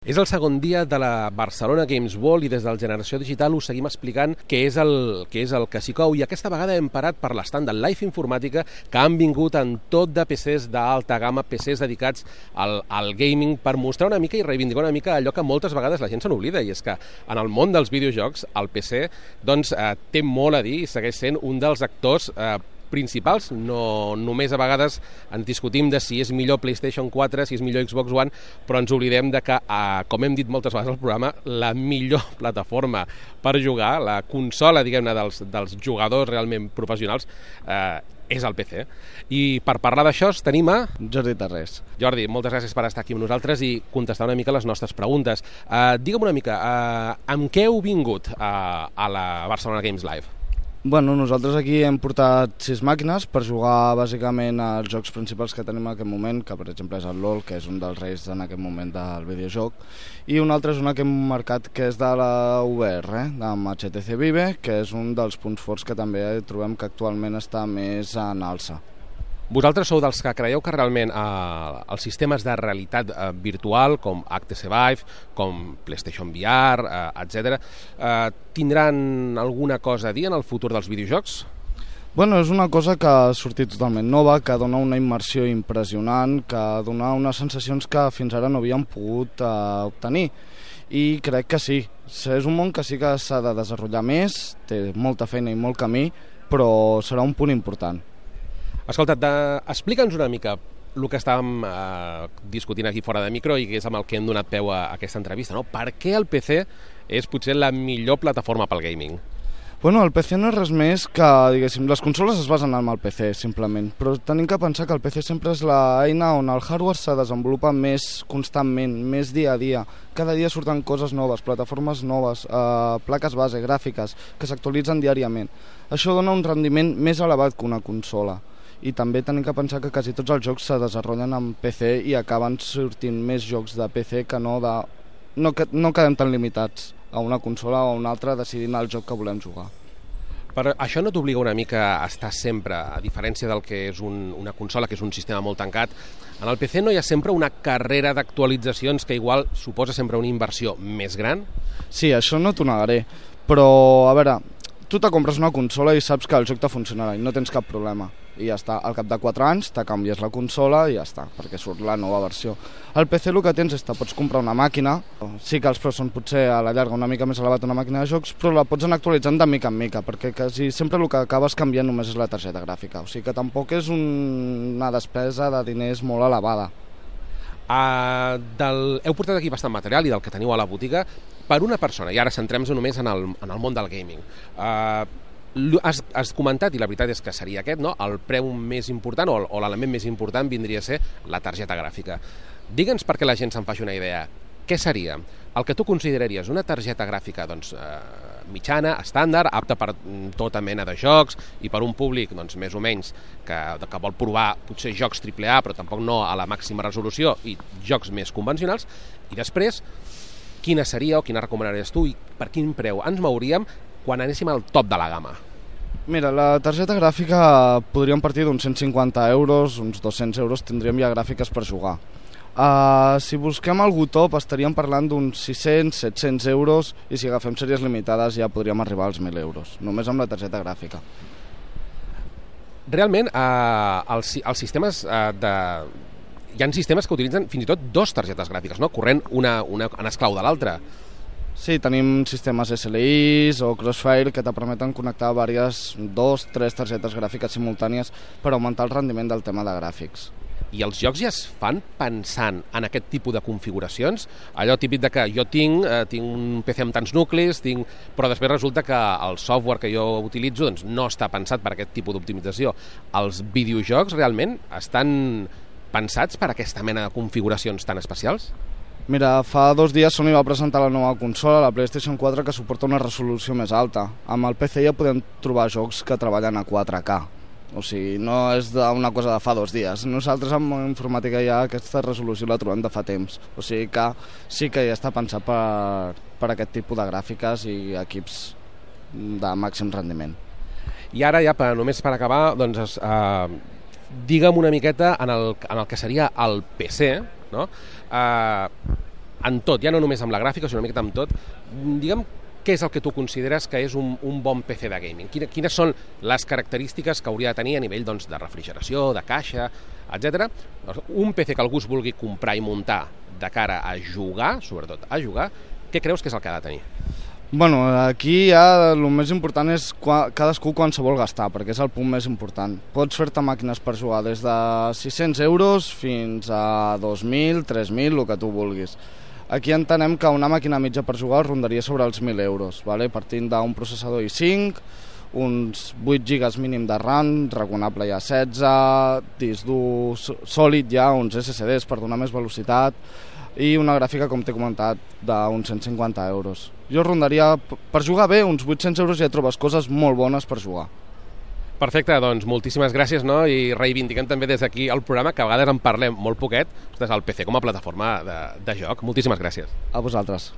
És el segon dia de la Barcelona Games World i des del Generació Digital us seguim explicant què és el que s'hi cou, i aquesta vegada hem parat per l'estand de Life Informàtica, que han vingut en tot de PCs d'alta gamma, PCs dedicats al gaming, per mostrar una mica i reivindicar una mica allò que moltes vegades la gent se n'oblida, i és que en el món dels videojocs el PC té molt a dir i segueix sent un dels actors principals. No només a vegades ens discutim de si és millor PlayStation 4, si és millor Xbox One, però ens oblidem de que, com hem dit moltes vegades al programa, la millor plataforma per jugar, la consola, diguem-ne, dels jugadors realment professionals, és el PC. I per parlar d'això tenim a Jordi Tarrés. Jordi, moltes gràcies per estar aquí amb nosaltres i contestar una mica les nostres preguntes. Digue'm una mica, amb què heu vingut a la Barcelona Games Live? Bueno, nosaltres aquí hem portat 6 màquines per jugar bàsicament als jocs principals que tenim en aquest moment, que per exemple és el LoL, que és un dels reis en aquest moment del videojoc, i un altre és una que hem marcat que és de la VR, amb HTC Vive, que és un dels punts forts que també trobem que actualment està més en alça. Vosaltres sou dels que creieu que realment els sistemes de realitat virtual, com HTC Vive, com PlayStation VR, etc., tindran alguna cosa a dir en el futur dels videojocs? Bueno, és una cosa que ha sortit totalment nova, que dona una immersió impressionant, que dona unes sensacions que fins ara no havíem pogut obtenir. I crec que sí. És un món que sí que s'ha de desenvolupar més, té molta feina i molt camí, però serà un punt important. Escolta, explica'ns una mica el que estàvem discutint aquí fora de micro i que és amb el que hem donat peu a aquesta entrevista, no? Per què el PC és potser la millor plataforma pel gaming? Bueno, el PC no és res més que, diguéssim, les consoles es basen en el PC, simplement, però tenim que pensar que el PC sempre és l'eina on el hardware se desenvolupa més constantment, més dia a dia. Cada dia surten coses noves, plataformes noves, plaques base, gràfiques, que s'actualitzen diàriament. Això dona un rendiment més elevat que una consola. I també tenim que pensar que quasi tots els jocs se desenvolupen en PC i acaben sortint més jocs de PC que no quedem tan limitats a una consola o a una altra decidint el joc que volem jugar. Però això no t'obliga una mica a estar sempre, a diferència del que és una consola, que és un sistema molt tancat, en el PC no hi ha sempre una carrera d'actualitzacions que igual suposa sempre una inversió més gran? Sí, això no t'ho negaré, però a veure, tu te compres una consola i saps que el joc te funcionarà i no tens cap problema. I ja està, al cap de 4 anys te canvies la consola i ja està, perquè surt la nova versió. Al PC el que tens és que pots comprar una màquina, sí que els preus són potser a la llarga una mica més elevat una màquina de jocs, però la pots anar actualitzant de mica en mica, perquè quasi sempre el que acabes canviant només és la targeta gràfica, o sigui que tampoc és una despesa de diners molt elevada. Heu portat aquí bastant material i del que teniu a la botiga per una persona, i ara centrem-nos només en el món del gaming. Has comentat, i la veritat és que seria aquest, no? El preu més important o l'element més important vindria a ser la targeta gràfica. Digue'ns perquè la gent se'n faci una idea. Què seria el que tu consideraries una targeta gràfica mitjana, estàndard, apta per tota mena de jocs i per un públic més o menys que vol provar potser jocs AAA però tampoc no a la màxima resolució i jocs més convencionals, i després quina seria o quina recomanaries tu i per quin preu ens mouríem quan anéssim al top de la gamma? Mira, la targeta gràfica podríem partir d'uns 150 euros, uns 200 euros tindríem ja gràfiques per jugar. Si busquem algú top estaríem parlant d'uns 600-700 euros i si agafem sèries limitades ja podríem arribar als 1.000 euros, només amb la targeta gràfica. Realment, els sistemes hi ha sistemes que utilitzen fins i tot 2 targetes gràfiques, no? Corrent una en esclau de l'altra. Sí, tenim sistemes SLIs o Crossfire que te permeten connectar 2-3 targetes gràfiques simultànies per augmentar el rendiment del tema de gràfics. I els jocs ja es fan pensant en aquest tipus de configuracions? Allò típic de que jo tinc un PC amb tants nuclis, però després resulta que el software que jo utilitzo no està pensat per aquest tipus d'optimització. Els videojocs realment estan pensats per aquesta mena de configuracions tan especials? Mira, fa 2 dies Sony va presentar la nova consola, la PlayStation 4, que suporta una resolució més alta. Amb el PC ja podem trobar jocs que treballen a 4K. O sigui, no és una cosa de fa 2 dies. Nosaltres amb informàtica ja aquesta resolució la trobem de fa temps. O sigui que sí que ja està pensat per aquest tipus de gràfiques i equips de màxim rendiment. I ara ja, només per acabar, digue'm una miqueta en el que seria el PC, no? en tot, ja no només amb la gràfica, sinó una miqueta amb tot, digue'm què és el que tu consideres que és un bon PC de gaming? Quines són les característiques que hauria de tenir a nivell doncs, de refrigeració, de caixa, etc. Un PC que algú es vulgui comprar i muntar de cara a jugar, sobretot a jugar, què creus que és el que ha de tenir? Bueno, aquí ja el més important és cadascú quan se vol gastar, perquè és el punt més important. Pots fer-te màquines per jugar des de 600 euros fins a 2.000, 3.000, el que tu vulguis. Aquí entenem que una màquina mitja per jugar rondaria sobre els 1.000 euros, partint d'un processador i5, uns 8 gigas mínim de RAM, raconable ja 16, disc dur sòlid ja, uns SSDs per donar més velocitat, i una gràfica, com t'he comentat, d'uns 150 euros. Jo rondaria, per jugar bé, uns 800 euros ja trobes coses molt bones per jugar. Perfecte, doncs moltíssimes gràcies, no? I reivindiquem també des d'aquí el programa, que a vegades en parlem molt poquet, el PC com a plataforma de joc. Moltíssimes gràcies. A vosaltres.